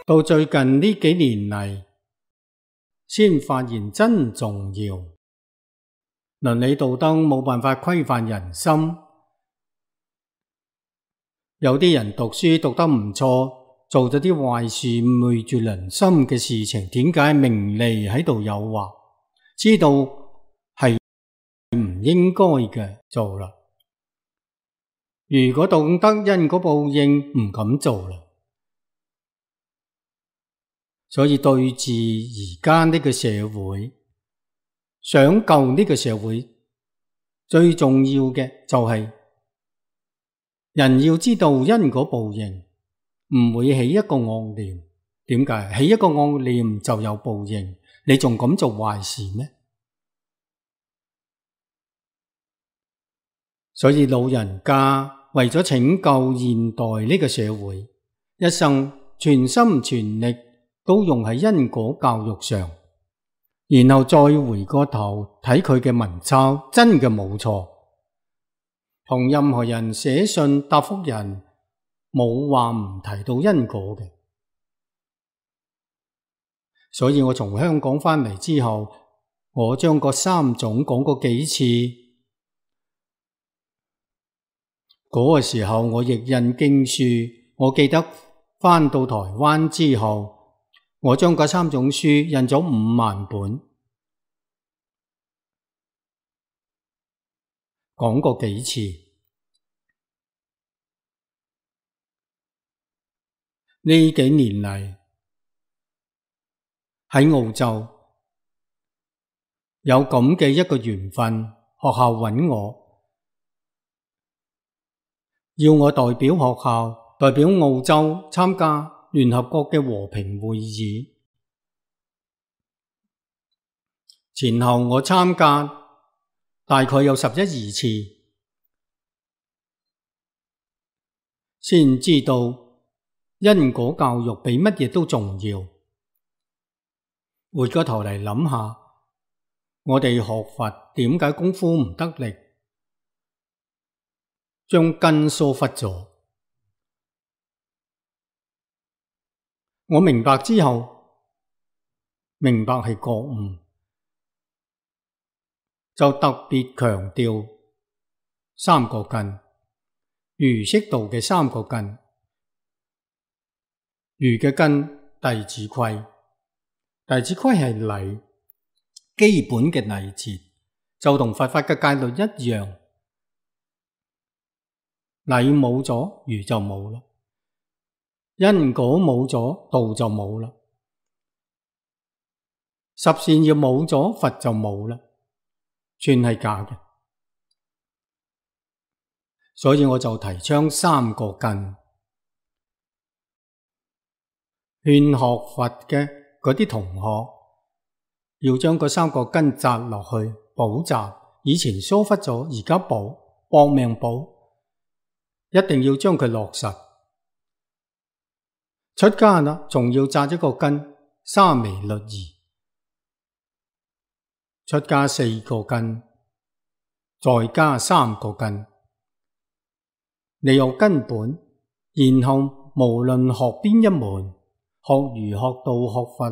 到最近呢幾年嚟，先發現真重要。倫理道德冇辦法規範人心，有啲人讀書讀得唔錯，做咗啲壞事昧住良心嘅事情，點解名利喺度誘惑？知道係唔應該嘅做啦。如果懂得因果報應，唔敢做啦。所以對治而家呢個社會，想救呢個社會，最重要嘅就係人要知道因果報應，唔會起一個惡念。點解？起一個惡念就有報應，你仲敢做壞事咩？所以老人家為咗拯救現代呢個社會，一生全心全力都用喺因果教育上，然後再回過頭睇佢嘅文抄，真嘅冇錯。同任何人寫信答覆人，冇話唔提到因果嘅。所以我從香港返嚟之後，我將嗰三種講過幾次。嗰個時候我譯印經書，我記得返到台灣之後，我將嗰三種書印咗5萬本，講過幾次。呢幾年嚟喺澳洲有咁嘅一個緣分，學校揾我，要我代表學校，代表澳洲參加聯合國嘅和平會議。前後我參加大概有11、12次，先知道因果教育比乜嘢都重要。回過頭嚟諗下，我哋學佛點解功夫唔得力，將根疏忽咗？我明白之後，明白係覺悟，就特別強調三個根，儒釋道嘅三個根。儒嘅根，弟子規，弟子規係禮，基本嘅禮節，就同佛法嘅戒律一樣。禮冇咗，儒就冇啦；因果冇咗，道就冇啦；十善要冇咗，佛就冇啦，全係假嘅。所以我就提倡三個根，勸學佛嘅嗰啲同學要將嗰三個根扎落去補習，以前疏忽咗，而家補，搏命補，一定要將佢落實。出家啦，仲要扎一個根，沙彌律儀。出家4個根，再加3個根。你有根本，然後無論學邊一門，學儒、學道、學佛，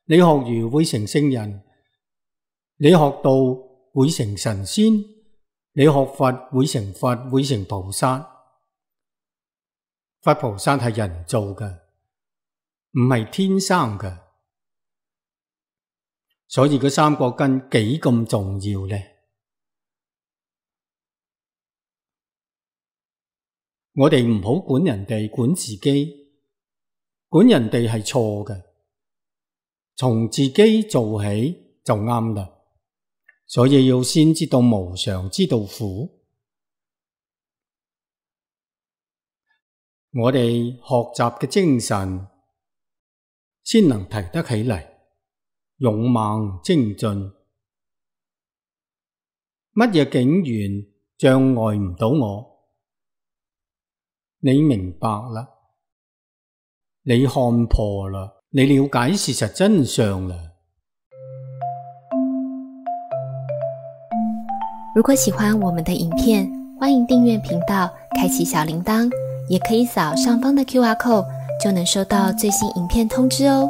你學儒會成聖人，你學道會成神仙，你學佛會成佛，會成菩薩。佛菩薩係人做嘅，唔係天生嘅。所以嗰三個根幾咁重要呢？我哋唔好管人哋，管自己。管人哋係錯嘅，從自己做起就啱啦。所以要先知道無常，知道苦。我哋學習嘅精神先能提得起嚟，勇猛精進。乜嘢境緣障礙唔到我？你明白啦，你看破啦，你了解事實真相啦。如果喜歡我們的影片，歡迎訂閱頻道，開啟小鈴鐺，也可以掃上方的QR code 就能收到最新影片通知哦。